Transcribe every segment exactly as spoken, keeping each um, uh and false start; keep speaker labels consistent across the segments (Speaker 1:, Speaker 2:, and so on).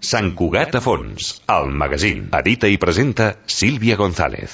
Speaker 1: Sant Cugat a fons, el magazín. Edita i presenta Sílvia González.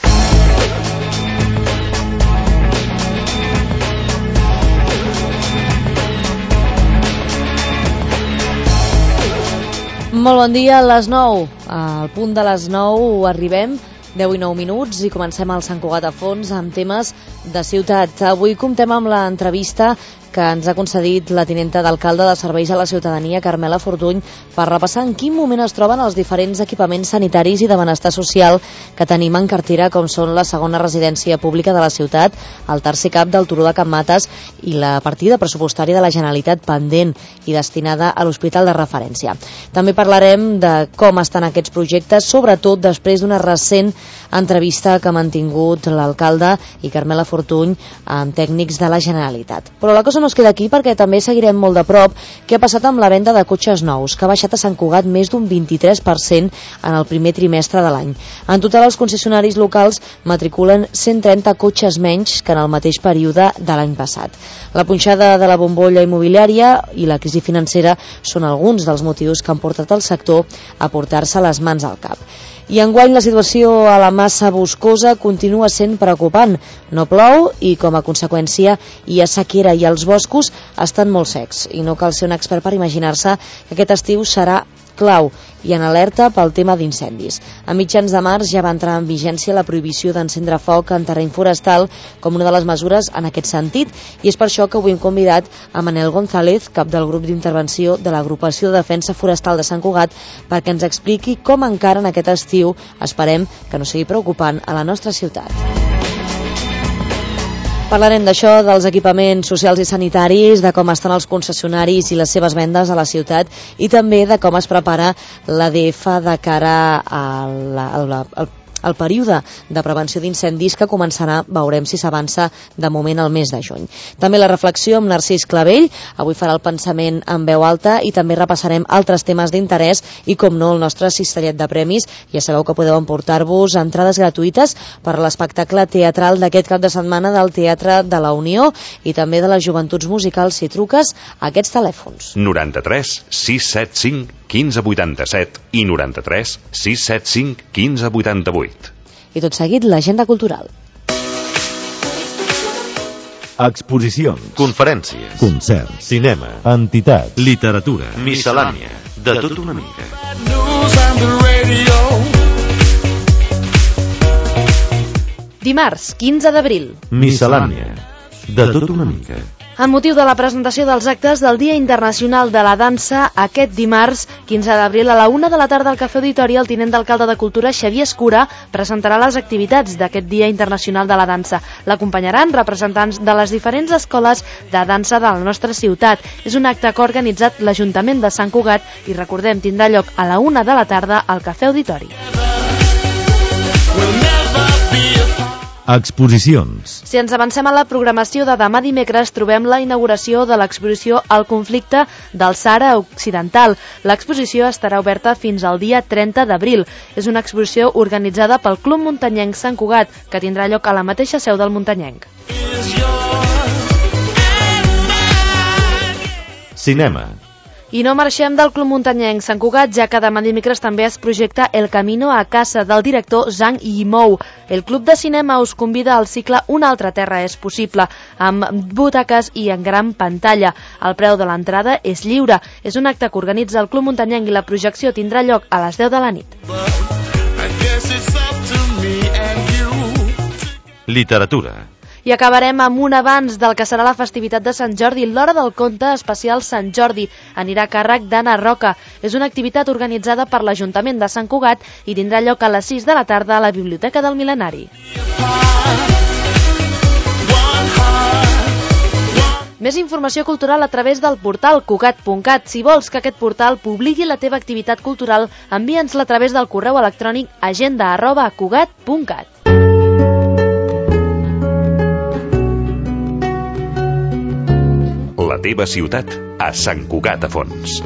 Speaker 2: Molt bon dia, a les nou. Al punt de les nou arribem, deu i nou minuts, i comencem el Sant Cugat a fons amb temes de ciutat. Avui comptem amb l'entrevista que ens ha concedit la tinenta d'alcalde de Serveis a la Ciutadania, Carmela Fortuny, per repassar en quin moment es troben els diferents equipaments sanitaris i de benestar social que tenim en cartera, com són la segona residència pública de la ciutat, el tercer cap del Turó de Can Mates i la partida pressupostària de la Generalitat pendent i destinada a l'hospital de referència. També parlarem de com estan aquests projectes, sobretot després d'una recent entrevista que ha mantingut l'alcalde i Carmela Fortuny amb tècnics de la Generalitat. Però la cosa no es queda aquí, perquè també seguirem molt de prop què ha passat amb la venda de cotxes nous, que ha baixat a Sant Cugat més d'un vint-i-tres per cent en el primer trimestre de l'any. En total, els concessionaris locals matriculen cent trenta cotxes menys que en el mateix període de l'any passat. La punxada de la bombolla immobiliària i la crisi financera són alguns dels motius que han portat el sector a portar-se les mans al cap. I enguany la situació a la Massa Boscosa continua sent preocupant. No plou i, com a conseqüència, hi ha sequera i els boscos estan molt secs. I no cal ser un expert per imaginar-se que aquest estiu serà clau i en alerta pel tema d'incendis. A mitjans de març ja va entrar en vigència la prohibició d'encendre foc en terreny forestal com una de les mesures en aquest sentit, i és per això que avui hem convidat a Manel González, cap del grup d'intervenció de l'Agrupació de Defensa Forestal de Sant Cugat, perquè ens expliqui com encara en aquest estiu esperem que no sigui preocupant a la nostra ciutat. Parlarem d'això, dels equipaments socials i sanitaris, de com estan els concessionaris i les seves vendes a la ciutat, i també de com es prepara l'A D F de cara al, al, al, al període de prevenció d'incendis que començarà, veurem si s'avança de moment al mes de juny. També la reflexió amb Narcís Clavell, avui farà el pensament en veu alta, i també repassarem altres temes d'interès i, com no, el nostre cistellet de premis. Ja sabeu que podeu emportar-vos entrades gratuïtes per a l'espectacle teatral d'aquest cap de setmana del Teatre de la Unió i també de les Joventuts Musicals si truques a aquests telèfons.
Speaker 1: noranta-tres sis set cinc quinze vuitanta-set i noranta-tres sis set cinc quinze vuitanta-vuit.
Speaker 2: I tot seguit, l'agenda cultural.
Speaker 3: Exposicions,
Speaker 1: Conferències,
Speaker 3: concerts,
Speaker 1: cinema,
Speaker 3: entitats,
Speaker 1: literatura, miscel·lània, de tot una mica.
Speaker 2: Dimarts, quinze d'abril.
Speaker 3: miscel·lània, de tot una mica.
Speaker 2: Amb motiu de la presentació dels actes del Dia Internacional de la Dansa, aquest dimarts, quinze d'abril, a la una de la tarda al Cafè Auditori, el tinent d'alcalde de Cultura, Xavier Escura, presentarà les activitats d'aquest Dia Internacional de la Dansa. L'acompanyaran representants de les diferents escoles de dansa de la nostra ciutat. És un acte que ha organitzat l'Ajuntament de Sant Cugat i, recordem, tindrà lloc a la una de la tarda al Cafè Auditori.
Speaker 3: Exposicions.
Speaker 2: Si ens avancem a la programació de demà dimecres, trobem la inauguració de l'exposició El conflicte del Sàhara Occidental. L'exposició estarà oberta fins al dia trenta d'abril. És una exposició organitzada pel Club Muntanyenc Sant Cugat, que tindrà lloc a la mateixa seu del Muntanyenc.
Speaker 3: Cinema.
Speaker 2: I no marxem del Club Muntanyenc Sant Cugat, ja que demà dimecres també es projecta El camino a casa, del director Zhang Yimou. El Club de Cinema us convida al cicle Una altra terra és possible, amb butaques i en gran pantalla. El preu de l'entrada és lliure. És un acte que organitza el Club Muntanyenc i la projecció tindrà lloc a les deu de la nit.
Speaker 1: Literatura.
Speaker 2: I acabarem amb un avanç del que serà la festivitat de Sant Jordi. L'Hora del Conte especial Sant Jordi anirà a càrrec d'Anna Roca. És una activitat organitzada per l'Ajuntament de Sant Cugat i tindrà lloc a les sis de la tarda a la Biblioteca del Mil·lenari. Més informació cultural a través del portal cugat punt cat. Si vols que aquest portal publiqui la teva activitat cultural, envia'ns-la a través del correu electrònic agenda arroba cugat punt cat.
Speaker 1: La teva ciutat a Sant Cugat a fons.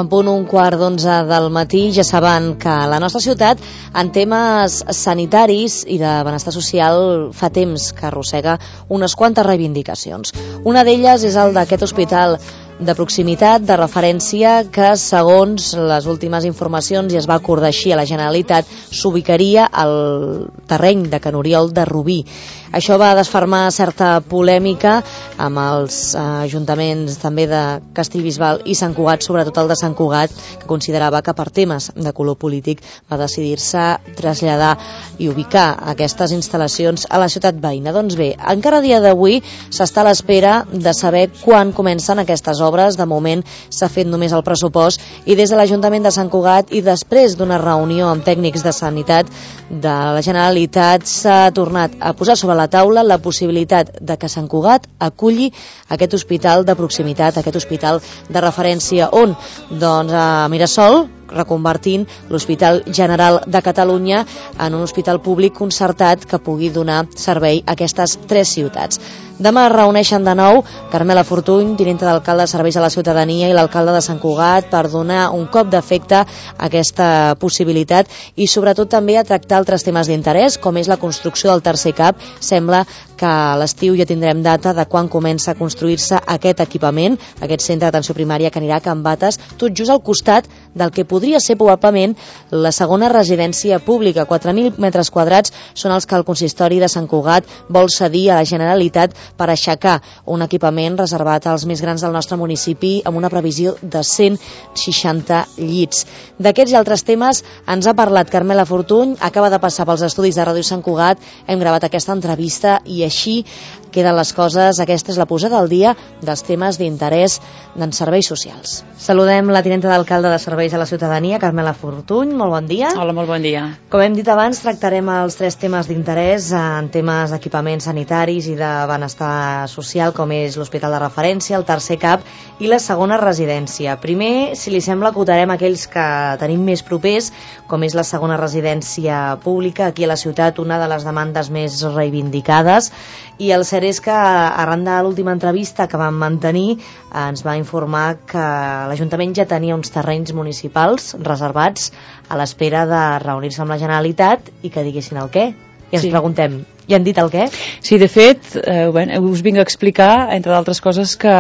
Speaker 2: En punt un quart d'onze del matí, ja saben que la nostra ciutat, en temes sanitaris i de benestar social, fa temps que arrossega unes quantes reivindicacions. Una d'elles és el d'aquest hospital de proximitat, de referència, que segons les últimes informacions, i es va acordar així a la Generalitat, s'ubicaria al terreny de Can Oriol de Rubí. Això va desfermar certa polèmica amb els ajuntaments també de Castellbisbal i Sant Cugat, sobretot el de Sant Cugat, que considerava que per temes de color polític va decidir-se traslladar i ubicar aquestes instal·lacions a la ciutat veïna. Doncs bé, encara a dia d'avui s'està a l'espera de saber quan comencen aquestes obres. De moment s'ha fet només el pressupost i des de l'Ajuntament de Sant Cugat i després d'una reunió amb tècnics de sanitat de la Generalitat s'ha tornat a posar sobre la taula la possibilitat de que Sant Cugat aculli aquest hospital de proximitat, aquest hospital de referència. On? Doncs a Mirasol, reconvertint l'Hospital General de Catalunya en un hospital públic concertat que pugui donar servei a aquestes tres ciutats. Demà es reuneixen de nou Carmela Fortuny, tinenta d'alcalde de Serveis a la Ciutadania, i l'alcalde de Sant Cugat per donar un cop d'efecte a aquesta possibilitat i sobretot també a tractar altres temes d'interès, com és la construcció del tercer C A P. Sembla que a l'estiu ja tindrem data de quan comença a construir-se aquest equipament, aquest centre d'atenció primària que anirà a Can Bates, tot just al costat del que podria ser probablement la segona residència pública. quatre mil metres quadrats són els que el consistori de Sant Cugat vol cedir a la Generalitat per aixecar un equipament reservat als més grans del nostre municipi amb una previsió de cent seixanta llits. D'aquests i altres temes ens ha parlat Carmela Fortuny, acaba de passar pels estudis de Ràdio Sant Cugat, hem gravat aquesta entrevista i així queden les coses. Aquesta és la posada al dia dels temes d'interès en serveis socials. Saludem la tinenta d'alcalde de Serveis a la Ciutadania, Carmela Fortuny. Molt bon dia.
Speaker 4: Hola, molt bon dia.
Speaker 2: Com hem dit abans, tractarem els tres temes d'interès en temes d'equipaments sanitaris i de benestar social, com és l'hospital de referència, el tercer C A P i la segona residència. Primer, si li sembla, acotarem aquells que tenim més propers, com és la segona residència pública aquí a la ciutat, una de les demandes més reivindicades. I el cert és que, arran de l'última entrevista que vam mantenir, ens va informar que l'Ajuntament ja tenia uns terrenys municipals reservats a l'espera de reunir-se amb la Generalitat i que diguessin el què. I ens sí. preguntem, ja han dit el què?
Speaker 4: Sí, de fet, eh, bueno, us vinc a explicar, entre d'altres coses, que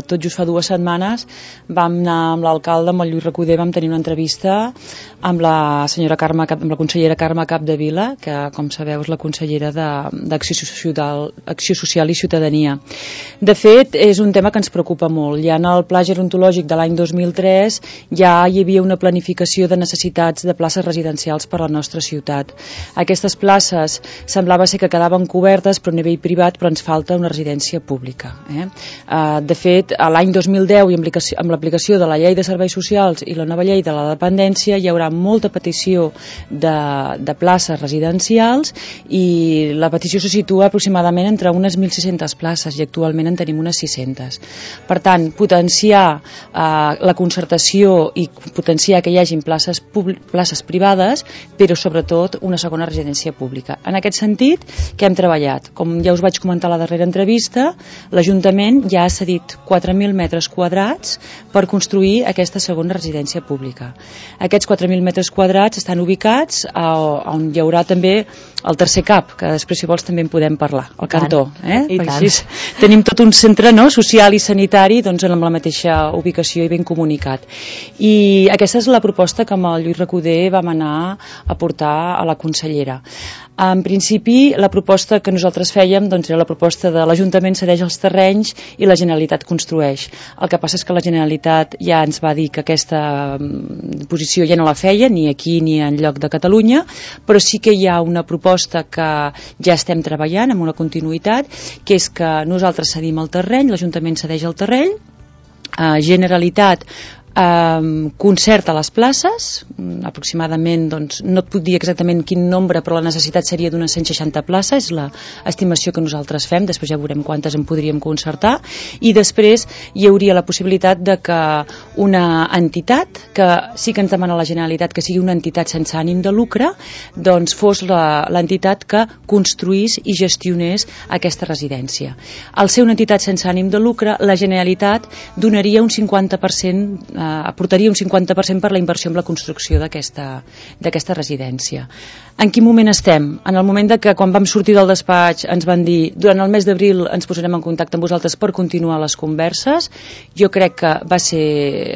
Speaker 4: tot just fa dues setmanes vam anar amb l'alcalde, amb el Lluís Recoder, vam tenir una entrevista amb la senyora Carme, amb la consellera Carme Capdevila, que, com sabeu, és la consellera d'Acció Social, Acció Social i Ciutadania. De fet, és un tema que ens preocupa molt. Ja en el Pla Gerontològic de l'any dos mil tres ja hi havia una planificació de necessitats de places residencials per a la nostra ciutat. Aquestes places semblava ser que quedaven cobertes però a nivell privat, però ens falta una residència pública. Eh? Uh, de fet, l'any dos mil deu i amb l'aplicació de la llei de serveis socials i la nova llei de la dependència hi haurà molta petició de, de places residencials i la petició se situa aproximadament entre unes mil sis-centes places i actualment en tenim unes sis-centes. Per tant, potenciar uh, la concertació i potenciar que hi hagin places, places privades, però sobretot una segona residència pública. En aquest sentit, que hem treballat? Com ja us vaig comentar a la darrera entrevista, l'Ajuntament ja ha cedit quatre mil metres quadrats per construir aquesta segona residència pública. Aquests quatre mil metres quadrats estan ubicats a, on hi haurà també el tercer C A P, que després, si vols, també en podem parlar, al cantó. Eh? Perquè així tenim tot un centre, no?, social i sanitari, doncs, amb la mateixa ubicació i ben comunicat. I aquesta és la proposta que amb el Lluís Recoder vam anar a portar a la consellera. En principi, la proposta que nosaltres fèiem doncs, era la proposta de l'Ajuntament cedeix els terrenys i la Generalitat construeix. El que passa és que la Generalitat ja ens va dir que aquesta posició ja no la feia, ni aquí ni en lloc de Catalunya, però sí que hi ha una proposta que ja estem treballant amb una continuïtat, que és que nosaltres cedim el terreny, l'Ajuntament cedeix el terreny, eh, Generalitat Um, concerta les places, aproximadament, doncs, no et puc dir exactament quin nombre, però la necessitat seria d'unes cent seixanta places, és l'estimació que nosaltres fem, després ja veurem quantes en podríem concertar, i després hi hauria la possibilitat de que una entitat, que sí que ens demana la Generalitat que sigui una entitat sense ànim de lucre, doncs fos l'entitat que construís i gestionés aquesta residència. Al ser una entitat sense ànim de lucre, la Generalitat donaria un cinquanta per cent aportaria un cinquanta per cent per la inversió en la construcció d'aquesta d'aquesta residència. En quin moment estem? En el moment de que quan vam sortir del despatx ens van dir durant el mes d'abril ens posarem en contacte amb vosaltres per continuar les converses. Jo crec que va ser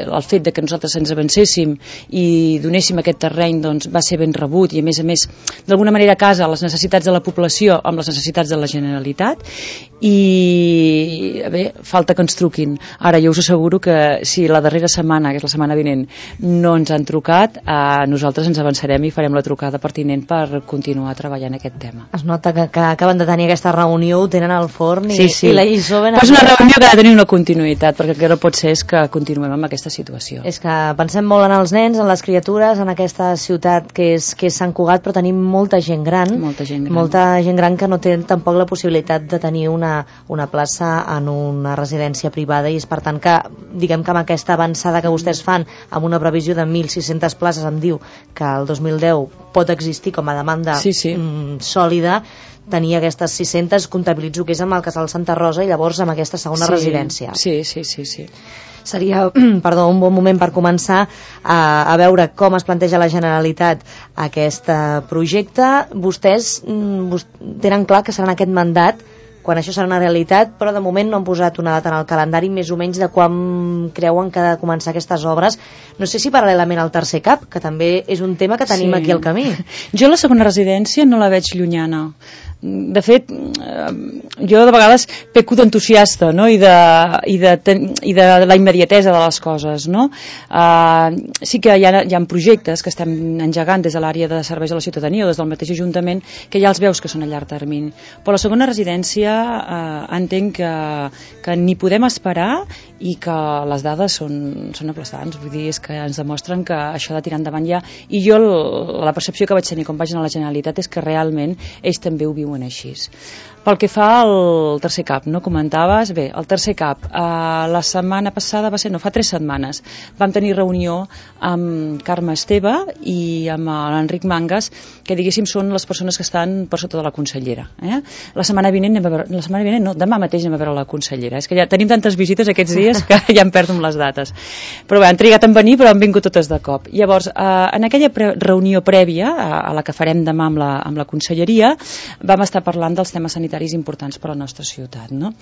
Speaker 4: el fet de que nosaltres ens avancéssim i donéssim aquest terreny, doncs va ser ben rebut i a més a més d'alguna manera casa les necessitats de la població amb les necessitats de la Generalitat i bé, falta que ens truquin. Ara jo us asseguro que si la darrera setmana, que és la setmana vinent, no ens han trucat, eh, nosaltres ens avançarem i farem la trucada pertinent per continuar treballant aquest tema.
Speaker 2: Es nota que, que acaben de tenir aquesta reunió, ho tenen al forn i,
Speaker 4: sí, sí.
Speaker 2: i la lliçó ben...
Speaker 4: Però és una reunió que ha de tenir una continuïtat, perquè el que no pot ser és que continuem amb aquesta situació.
Speaker 2: És que pensem molt en els nens, en les criatures, en aquesta ciutat que és, que és Sant Cugat, però tenim molta gent gran,
Speaker 4: molta gent gran,
Speaker 2: molta gent gran que no té tampoc la possibilitat de tenir una, una plaça en una residència privada i és per tant que, diguem que amb aquesta avançada que vostès fan, amb una previsió de mil sis-centes places, em diu que el dos mil deu pot existir com a demanda
Speaker 4: sí, sí.
Speaker 2: Mm, sòlida, tenir aquestes sis-centes, comptabilitzo que és amb el Casal Santa Rosa i llavors amb aquesta segona
Speaker 4: sí,
Speaker 2: residència.
Speaker 4: Sí, sí, sí, sí.
Speaker 2: Seria, perdó, un bon moment per començar a, a veure com es planteja la Generalitat aquest projecte. Vostès mm, tenen clar que serà en aquest mandat quan això serà una realitat, però de moment no han posat una data en el calendari més o menys de quan creuen que ha de començar aquestes obres. No sé si paral·lelament al tercer cap, que també és un tema que tenim sí. aquí al camí.
Speaker 4: Jo la segona residència no la veig llunyana. De fet, jo de vegades peco d'entusiasta, no? I, de, i, de, i de la immediatesa de les coses, no? Uh, sí que hi ha, hi ha projectes que estem engegant des de l'àrea de serveis a la ciutadania o des del mateix Ajuntament que ja els veus que són a llarg termini. Però la segona residència uh, entenc que, que ni podem esperar i que les dades són, són aplaçants, vull dir, és que ens demostren que això de tirar endavant ja, i jo la percepció que vaig tenir quan vaig anar a la Generalitat és que realment ells també ho viuen així. Pel que fa al tercer cap, no comentaves? Bé, el tercer cap, eh, la setmana passada va ser, no, fa tres setmanes, vam tenir reunió amb Carme Esteve i amb l'Enric Mangas, que diguéssim són les persones que estan per sota de la consellera. Eh? La setmana vinent, anem a veure, la setmana vinent no, demà mateix anem a veure la consellera. És que ja tenim tantes visites aquests dies que ja em perdo amb les dates. Però bé, han trigat en venir, però han vingut totes de cop. Llavors, eh, en aquella pre reunió prèvia, a, a la que farem demà amb la, amb la conselleria, vam estar parlant dels temes sanitaris importants per a la nostra ciutat, no?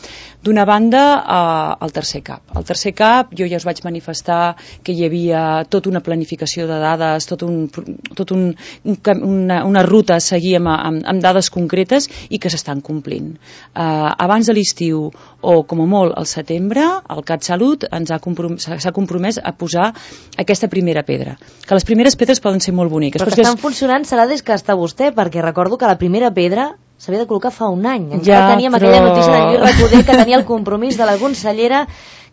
Speaker 4: D'una banda, eh, el tercer cap. El tercer cap, jo ja us vaig manifestar que hi havia tota una planificació de dades, tot un, tot un, un, una, una ruta a seguir amb, amb, amb dades concretes i que s'estan complint. Eh, abans de l'estiu, o com a molt al setembre, el CatSalut ens ha compromès, s'ha compromès a posar aquesta primera pedra. Que les primeres pedres poden ser molt boniques.
Speaker 2: Però que estan funcionant serà des que està vostè, perquè recordo que la primera pedra s'havia de col·locar fa un any. Encara ja, teníem però... aquella notícia de Lluís Recoder que tenia el compromís de la consellera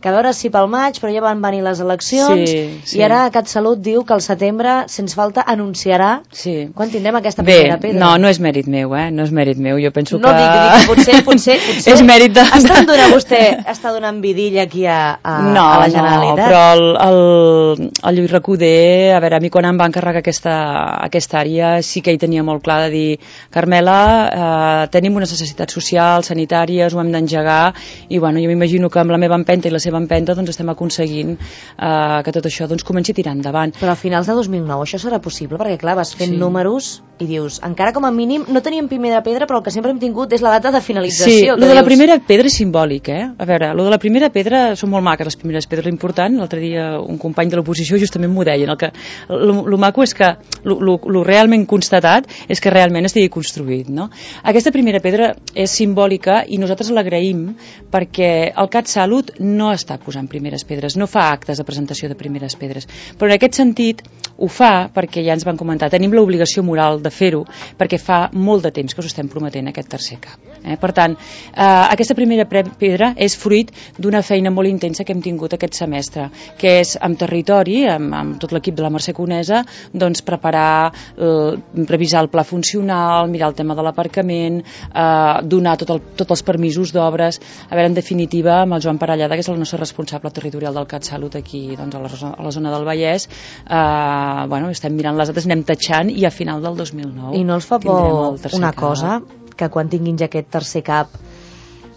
Speaker 2: que a veure si pel maig, però ja van venir les eleccions sí, sí. i ara CatSalut diu que al setembre, sense falta, anunciarà sí. quan tindrem aquesta primera
Speaker 4: Bé,
Speaker 2: pedra.
Speaker 4: No, no és mèrit meu, eh? No és mèrit meu, jo penso
Speaker 2: no
Speaker 4: que...
Speaker 2: No dic, dic, potser, potser, potser...
Speaker 4: és mèrit de...
Speaker 2: Està donant vostè, està donant vidilla aquí a, a,
Speaker 4: no,
Speaker 2: a la Generalitat?
Speaker 4: No, però el, el, el Lluís Recoder, a veure, a mi quan em va encarregar aquesta, aquesta àrea sí que hi tenia molt clar de dir, Carmela, eh, tenim unes necessitats socials, sanitàries, ho hem d'engegar, i bueno, jo m'imagino que amb la meva empenta i la seva empenta doncs estem aconseguint eh, que tot això doncs, comenci a tirar endavant.
Speaker 2: Però a finals de dos mil nou això serà possible? Perquè clar, vas fent sí. números i dius, encara com a mínim no teníem primera pedra, però el que sempre hem tingut és la data de finalització.
Speaker 4: Sí, lo de
Speaker 2: dius...
Speaker 4: la primera pedra és simbòlic, eh? A veure, lo de la primera pedra són molt maques, les primeres pedres. L'important, l'altre dia un company de l'oposició justament m'ho deia, el que lo, lo maco és que lo, lo, lo realment constatat és que realment estigui construït, no? Aquesta primera pedra és simbòlica i nosaltres l'agraïm perquè el CatSalut no està posant primeres pedres, no fa actes de presentació de primeres pedres, però en aquest sentit ho fa perquè ja ens van comentar, tenim l'obligació moral de fer-ho perquè fa molt de temps que us estem prometent aquest tercer cap. Eh? Per tant, eh, aquesta primera pedra és fruit d'una feina molt intensa que hem tingut aquest semestre, que és amb territori, amb, amb tot l'equip de la Mercè Conesa, doncs preparar, eh, revisar el pla funcional, mirar el tema de l'aparcament, eh, donar tot el, tots els permisos d'obres, a veure, en definitiva, amb el Joan Parellada, que és el nostre responsable territorial del CatSalut aquí doncs, a, la, a la zona del Vallès, eh, bueno, estem mirant les dates, anem tatxant i a final del dos mil nou
Speaker 2: i no els fa por una cap. cosa, que quan tinguin ja aquest tercer cap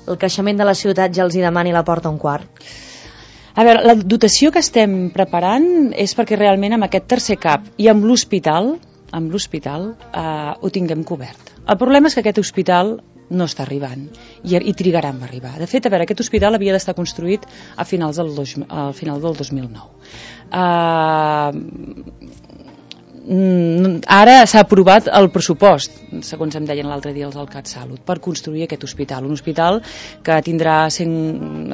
Speaker 2: el creixement de la ciutat ja els hi demani la porta un quart?
Speaker 4: A veure, la dotació que estem preparant és perquè realment amb aquest tercer cap i amb l'hospital, amb l'hospital eh, ho tinguem cobert. El problema és que aquest hospital no està arribant i, i trigarà a arribar. De fet, a veure, aquest hospital havia d'estar construït a finals del, dos, al final del dos mil nou. Uh, ara s'ha aprovat el pressupost, segons em deien l'altre dia els del CatSalut, per construir aquest hospital. Un hospital que tindrà cent,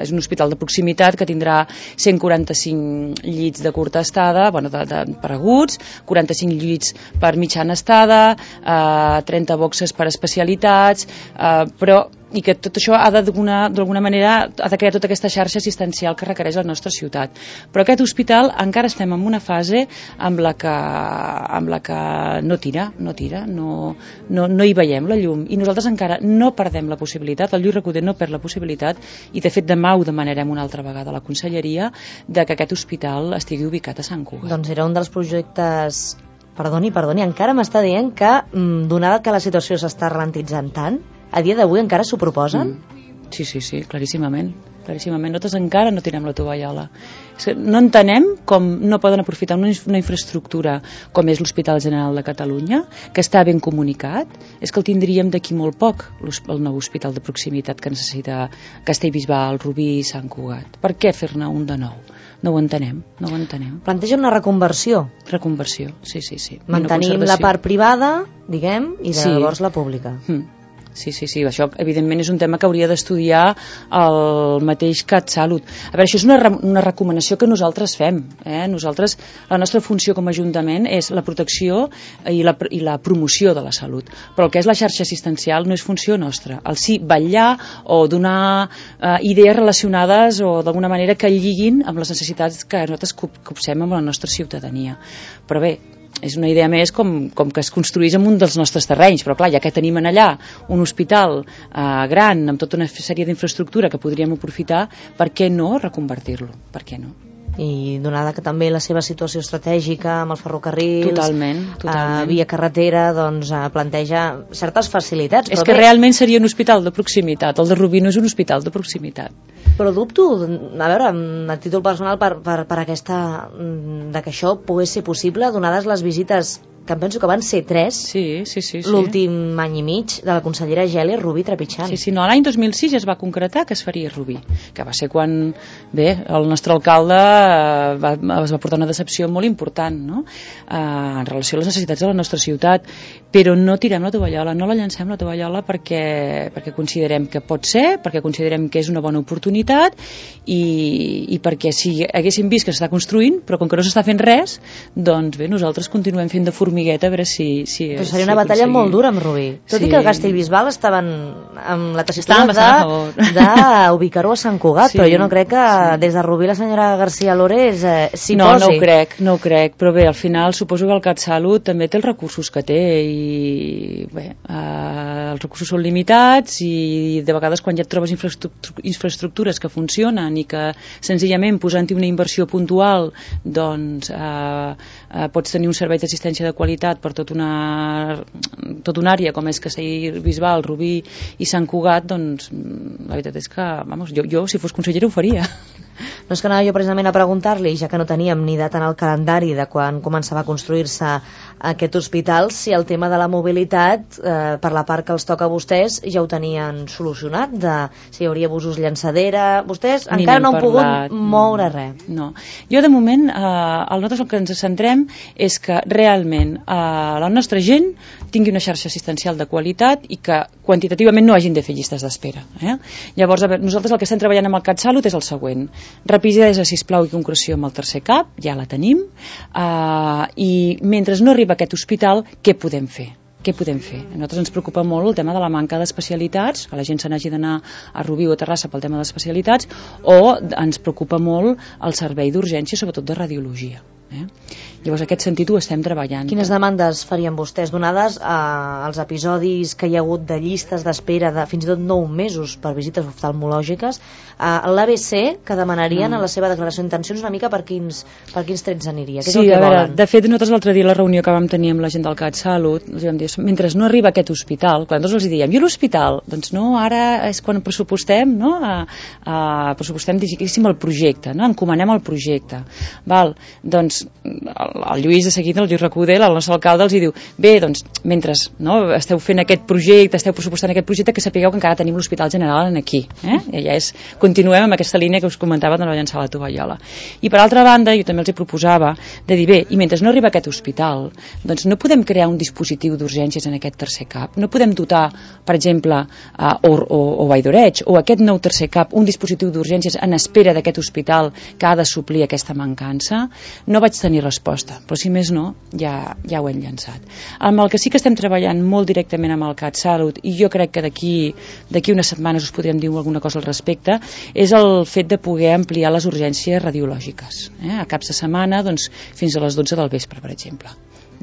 Speaker 4: és un hospital de proximitat que tindrà cent quaranta-cinc llits de curta estada, bueno, de, de, per aguts, quaranta-cinc llits per mitjana estada, eh, trenta boxes per especialitats, eh, però i que tot això ha d'alguna manera ha de crear tota aquesta xarxa assistencial que requereix la nostra ciutat. Però aquest hospital encara estem en una fase amb la que, amb la que no tira, no tira, no, no, no hi veiem la llum i nosaltres encara no perdem la possibilitat, el Lluís Recoder no perd la possibilitat i de fet demà ho demanarem una altra vegada a la Conselleria de que aquest hospital estigui ubicat a Sant Cugat.
Speaker 2: Doncs era un dels projectes... Perdoni, perdoni, encara m'està dient que, donada que la situació s'està ralentitzant tant, a dia d'avui encara s'ho proposen?
Speaker 4: Mm. Sí, sí, sí, claríssimament. claríssimament. Nosaltres encara no tirem la tovallola. No entenem com no poden aprofitar una, una infraestructura com és l'Hospital General de Catalunya, que està ben comunicat. És que el tindríem d'aquí molt poc, el nou hospital de proximitat que necessita Castellbisbal, Rubí i Sant Cugat. Per què fer-ne un de nou? No ho entenem, no ho entenem.
Speaker 2: Planteja una reconversió.
Speaker 4: Reconversió, sí, sí, sí.
Speaker 2: Mantenim la part privada, diguem, i
Speaker 4: sí.
Speaker 2: llavors la pública.
Speaker 4: Mm. Sí, sí, sí, això evidentment és un tema que hauria d'estudiar el mateix CatSalut. A veure, això és una, una recomanació que nosaltres fem. Eh? Nosaltres, la nostra funció com a Ajuntament és la protecció i la, i la promoció de la salut. Però el que és la xarxa assistencial no és funció nostra. El sí vetllar o donar eh, idees relacionades o d'alguna manera que lliguin amb les necessitats que nosaltres copsem amb la nostra ciutadania. Però bé, és una idea més com, com que es construís en un dels nostres terrenys, però clar, ja que tenim en allà un hospital eh, gran amb tota una sèrie d'infraestructura que podríem aprofitar, per què no reconvertir-lo? Per què no?
Speaker 2: I donada que també la seva situació estratègica amb els ferrocarrils,
Speaker 4: totalment, totalment.
Speaker 2: Eh, via carretera, doncs eh, planteja certes facilitats.
Speaker 4: És
Speaker 2: però
Speaker 4: que
Speaker 2: bé,
Speaker 4: realment seria un hospital de proximitat, el de Rubí no és un hospital de proximitat.
Speaker 2: Però dubto, a veure, a títol personal, per, per, per aquesta, de que això pogués ser possible, donades les visites que em penso que van ser tres,
Speaker 4: sí, sí, sí, sí.
Speaker 2: l'últim any i mig de la consellera Geli Rubí trepitjant.
Speaker 4: Sí, sí, no, l'any dos mil sis ja es va concretar que es faria Rubí, que va ser quan, bé, el nostre alcalde va, es va portar una decepció molt important, no?, eh, en relació a les necessitats de la nostra ciutat, però no tirem la tovallola, no la llancem la tovallola perquè, perquè considerem que pot ser, perquè considerem que és una bona oportunitat i, i perquè si haguéssim vist que s'està construint, però com que no s'està fent res, doncs bé, nosaltres continuem fent de formigueta a veure si... si
Speaker 2: però seria
Speaker 4: si
Speaker 2: una batalla
Speaker 4: aconseguim.
Speaker 2: molt dura amb Rubí, tot sí. I que el Castellbisbal estaven amb la tessitura d'ubicar-ho a Sant Cugat, sí. Però jo no crec que sí. Des de Rubí la senyora García Lores eh, s'hi
Speaker 4: no,
Speaker 2: posi.
Speaker 4: No, no ho crec, no ho crec, però bé, al final suposo que el CatSalut també té els recursos que té i bé, eh, els recursos són limitats i de vegades quan ja et trobes infraestructures que funcionen i que senzillament posant-hi una inversió puntual doncs eh, eh, pots tenir un servei d'assistència de qualitat per tot una, tot una àrea com és Castellbisbal, Rubí i Sant Cugat, doncs la veritat és que, vamos, jo, jo si fos consellera ho faria.
Speaker 2: No és que anava jo precisament a preguntar-li, ja que no teníem ni data en el calendari de quan començava a construir-se aquest hospital, si el tema de la mobilitat, eh, per la part que els toca a vostès, ja ho tenien solucionat, de si hi hauria busos llançadera, vostès ni encara no han
Speaker 4: parlat,
Speaker 2: pogut moure no, res.
Speaker 4: No, jo de moment, eh, el nosaltres el que ens centrem és que realment eh, la nostra gent tingui una xarxa assistencial de qualitat i que quantitativament no hagin de fer llistes d'espera. Eh? Llavors, a veure, nosaltres el que estem treballant amb el CatSalut és el següent. Rapidesa, sisplau, i concreció amb el tercer cap, ja la tenim, eh, i mentre no arriba aquest hospital, què podem fer? Què podem fer? A nosaltres ens preocupa molt el tema de la manca d'especialitats, que la gent se n'hagi d'anar a Rubí o a Terrassa pel tema d'especialitats, o ens preocupa molt el servei d'urgència, sobretot de radiologia. Eh? Llavors, en aquest sentit ho estem treballant.
Speaker 2: Quines demandes farien vostès, donades eh, els episodis que hi ha hagut de llistes d'espera de fins i tot nou mesos per visites oftalmològiques? Eh, L'A B C, que demanarien mm. a la seva declaració d'intencions una mica per quins, per quins trets aniria? Què
Speaker 4: sí,
Speaker 2: és el que
Speaker 4: a veure,
Speaker 2: volen?
Speaker 4: De fet, nosaltres l'altre dia a la reunió que vam tenir amb la gent del CatSalut, els vam dir, mentre no arriba aquest hospital, quan nosaltres els diem, i l'hospital? Doncs no, ara és quan pressupostem, no? A, a, pressupostem, diguéssim, el projecte, no? Encomanem el projecte. Val? Doncs el, el Lluís de seguida, el Lluís Recoder, el nostre alcalde, els hi diu, bé, doncs, mentre no, esteu fent aquest projecte, esteu pressupostant aquest projecte, que sapigueu que encara tenim l'Hospital General aquí. Eh? I ja és, continuem amb aquesta línia que us comentava de no llançar la tovallola. I per altra banda, jo també els hi proposava de dir, bé, i mentre no arriba aquest hospital, doncs no podem crear un dispositiu d'urgències en aquest tercer cap, no podem dotar, per exemple, a, o, o, o Vall d'Oreig, o aquest nou tercer cap, un dispositiu d'urgències en espera d'aquest hospital que ha de suplir aquesta mancança. No vaig tenir resposta, però si més no, ja, ja ho hem llançat. Amb el que sí que estem treballant molt directament amb el CatSalut, i jo crec que d'aquí d'aquí unes setmanes us podríem dir alguna cosa al respecte, és el fet de poder ampliar les urgències radiològiques. Eh? A caps de setmana, doncs, fins a les dotze del vespre, per exemple.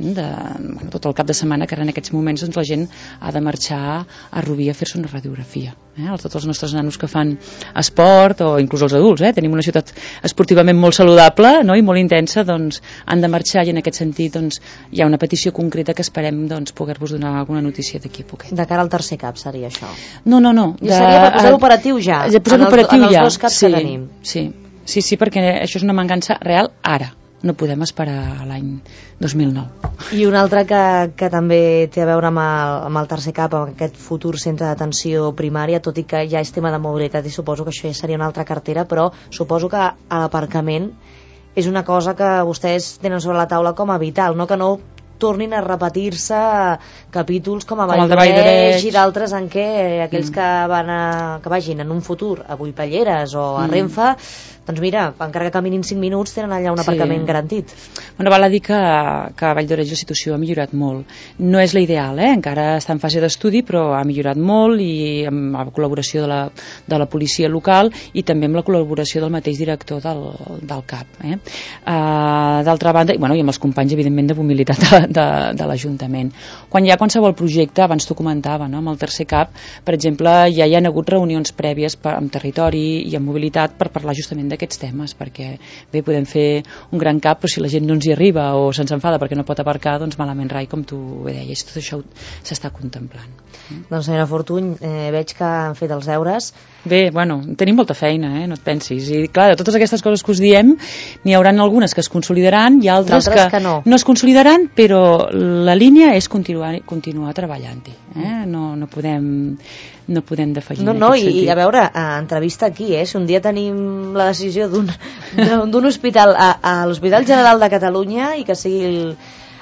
Speaker 4: De, bueno, tot el cap de setmana, que ara en aquests moments doncs, la gent ha de marxar a Rubí a fer-se una radiografia. Eh? Tots els nostres nanos que fan esport, o inclús els adults, eh? Tenim una ciutat esportivament molt saludable, no? I molt intensa, doncs han de marxar, i en aquest sentit doncs, hi ha una petició concreta que esperem doncs, poder-vos donar alguna notícia d'aquí a poquet.
Speaker 2: De cara al tercer cap seria això?
Speaker 4: No, no, no.
Speaker 2: I de, seria per posar operatiu ja?
Speaker 4: De posar
Speaker 2: en
Speaker 4: operatiu
Speaker 2: els,
Speaker 4: ja.
Speaker 2: En els dos caps
Speaker 4: sí,
Speaker 2: que tenim?
Speaker 4: Sí, sí, sí, perquè això és una mancança real ara. No podem esperar a l'any dos mil nou.
Speaker 2: I un altre que, que també té a veure amb el, amb el tercer cap, amb aquest futur centre d'atenció primària, tot i que ja és tema de mobilitat i suposo que això ja seria una altra cartera, però suposo que a l'aparcament és una cosa que vostès tenen sobre la taula com a vital, no? Que no tornin a repetir-se capítols com a Vall d'Oreig i d'altres en què aquells mm. que, van a, que vagin en un futur a Vuipelleres o a mm. Renfe, doncs mira, encara que caminin cinc minuts tenen allà un aparcament sí. garantit.
Speaker 4: Bueno, val a dir que, que a Vall d'Oreig la situació ha millorat molt. No és la ideal, eh? Encara està en fase d'estudi, però ha millorat molt, i amb la col·laboració de la, de la policia local i també amb la col·laboració del mateix director del, del C A P. Eh? Uh, D'altra banda, i, bueno, i amb els companys, evidentment, de mobilitat de, de, de l'Ajuntament. Quan hi ha qualsevol projecte, abans t'ho comentava, no? Amb el tercer C A P, per exemple, ja hi ha hagut reunions prèvies per, amb territori i amb mobilitat per parlar justament d'aquests temes, perquè bé, podem fer un gran cap, però si la gent no ens hi arriba o se'ns enfada perquè no pot aparcar, doncs malament rai, com tu bé deies, tot això s'està contemplant.
Speaker 2: Doncs senyora Fortuny, eh, veig que han fet els deures.
Speaker 4: Bé, bueno, tenim molta feina, eh? No et pensis. I clar, de totes aquestes coses que us diem, n'hi haurà algunes que es consolidaran i altres que,
Speaker 2: que no.
Speaker 4: no es consolidaran, però la línia és continuar, continuar treballant-hi. Eh? No, no podem no podem defallir.
Speaker 2: No, no, i, i a veure, a entrevista aquí, eh? Si un dia tenim la decisió d'un d'un hospital a, a l'Hospital General de Catalunya i que sigui el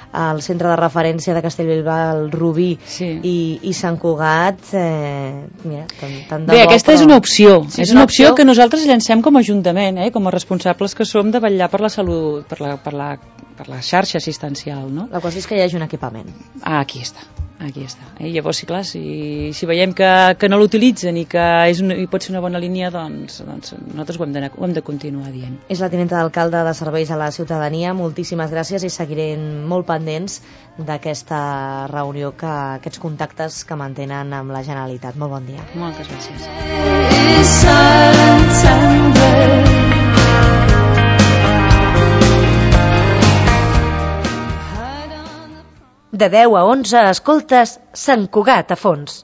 Speaker 2: al centre de referència de Castellbisbal, Rubí sí. i, i Sant Cugat, eh, mira, tant, tant de
Speaker 4: bé,
Speaker 2: bo,
Speaker 4: aquesta
Speaker 2: però...
Speaker 4: és una opció,
Speaker 2: sí,
Speaker 4: és una opció, opció que nosaltres llancem com a Ajuntament, eh, com a responsables que som de vetllar per la salut, per la, per la, per la xarxa assistencial, no?
Speaker 2: La qüestió és que hi hagi un equipament.
Speaker 4: Ah, aquí està. Aquí està. Eh? Llavors, sí, clar, si, si veiem que, que no l'utilitzen i que és una, i pot ser una bona línia, doncs, doncs nosaltres ho hem, de, ho hem de continuar dient.
Speaker 2: És la tinenta d'alcalde de Serveis a la Ciutadania. Moltíssimes gràcies i seguirem molt pendents d'aquesta reunió, que aquests contactes que mantenen amb la Generalitat. Molt bon dia.
Speaker 4: Moltes gràcies.
Speaker 2: De deu a onze escoltes Sant Cugat a fons.